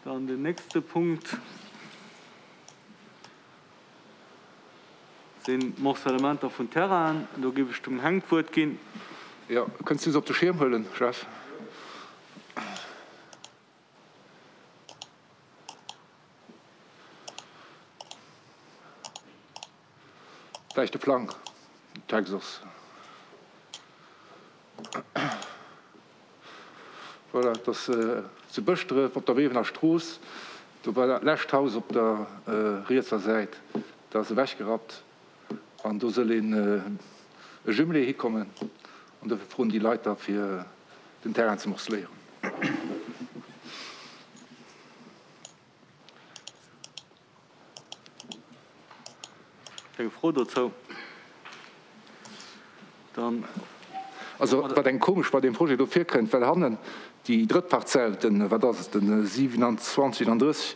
Dann den nächste Punkt sinn d'Morcellementer vun Terrainen. Do géif ech dem Heng d'Wuert ginn. Jo, kënns du se op de Schierm huelen, Jeff? Vläicht de Plang, Text ass. Voilà, et ass zu Bëschdref op der Wewener Strooss. Do war dat lescht Haus op der rietser Säit, dat ass ewechgerappt an do soll een e Jumelé hikommen an dofir froen déi Leit da fir den Terrain ze morceléieren. Eng Fro dozou? Dann. Also wat engem komesch bei deem Projet do virkënnt, well hannen déi drëtt Parzell, den, wat ass et, den 27, 37,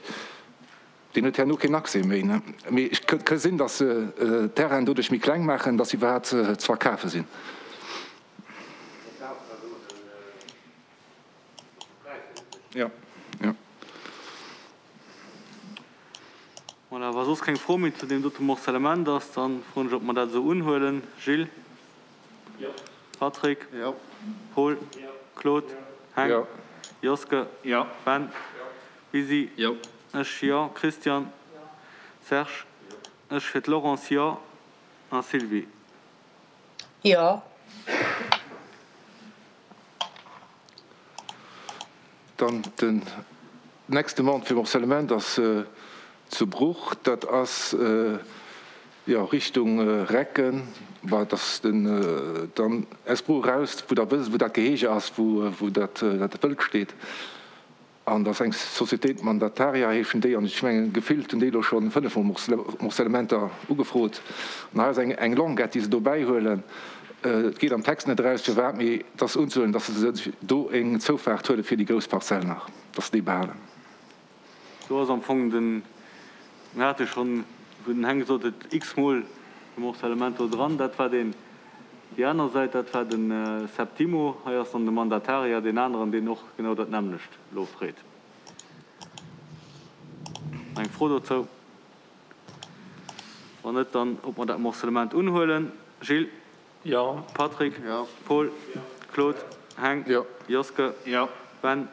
deen huet herno keen Accès méi, ne? Mee et ka sinn, datt se d'Terrainen doduerch méi kleng maachen, datt se iwwerhaapt ze verkafe sinn. Jo, jo. Voilà, wa soss keng Fro méi zu deem dote Morcellement ass, da froen ech, ob mer dat esou unhuelen. Gilles? Jo. Patrick? Jo. Paul? Jo. Claude? Heng? Jo. Joske? Jo. Ben? Jo. Lisi? Jo. Ech, jo. Christian? Jo. Serge? Jo. Ech fir d'Laurence, jo. A Sylvie? Jo. Dann den next Demande fir Morcellement ass zu Bruch. Dat ass, jo, Richtung Recken. Bah, dat ass den, dann aus Bruch eraus, wou Der wësst, wou dat Gehege ass, wou, wou dat, dat Wëld steet. An dat ass eng Société Mandataria heeschen déi, an ech mengen, gefillt hunn déi elo scho fënnefmol Morcellementer ugefrot. An hei ass eng, eng Longuette, déi se dobäi huelen. Et geet am Text net eraus, firwat, mee et ass unzehuelen, datt se sech do eng Zoufaart huele fir déi grouss Parzell nach, datt se déi behalen. Do ass am Fong den, mir hate schonn, wou den Heng gesot huet, x-mol de Morcellement do dran, dat war deen, déi aner Säit, dat war de Septimo. Hei ass dann de Mandataria, deen aneren, deen och genau dat nämmlecht elo freet. Eng Fro dozou? Wann net, dann ob mer dat Morcellement unhuelen. Gilles? Jo. Patrick? Jo. Paul? Claude? Heng? Jo. Joske? Jo. Ben?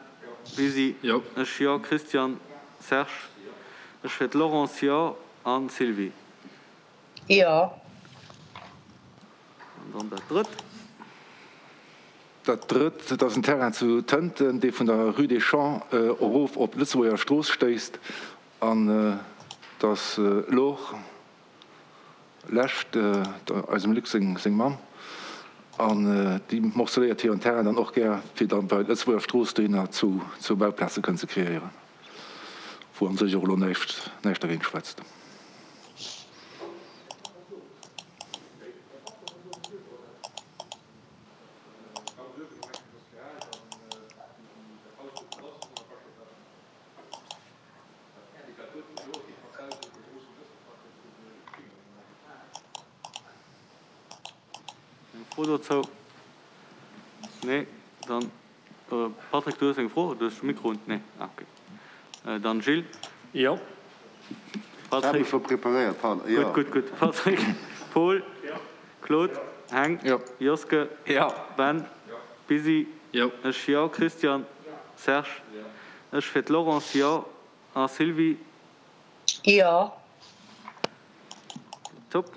Lisi? Jo. Ech, jo. Christian? Serge? Ech fir d'Laurence, jo. An Sylvie? Jo. An dann dat Drëtt. Dat Drëtt, dat ass en Terrain zu Tënten, dee vun der Rue des Champs erof op d'Lëtzebuerger Strooss stéisst. An dass Laure Lescht, eisem Luc seng Mamm, an déi morceléiert hiren Terrain dann och gär, fir dann bei Lëtzebuerger Strooss dohinner zu Bauplaze kënnen ze kreéieren, wou an sech och elo näischt dergéint schwätzt. Eng Fro dozou? Nee, dann Patrick, du hues eng Fro? Du hues de Mikro un. Nee, ah okay. Dann Gilles. Jo. Patrick. Ech hat mech scho preparéiert, pardon. Jo. Gutt, gutt, gutt. Patrick, Paul, Claude, Heng, Jo. Joske, Jo. Ben, Busy, Jo. Ech, jo. Christian, Serge, Ech fir d'Laurence, jo. A Sylvie? Jo. Top.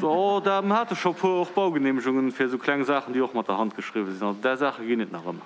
Oh, da hate scho puer och Baugenehmegungen fir esou kleng Saachen, déi och mat der Hand geschriwwen sinn. Also där Saache ginn et nach ëmmer.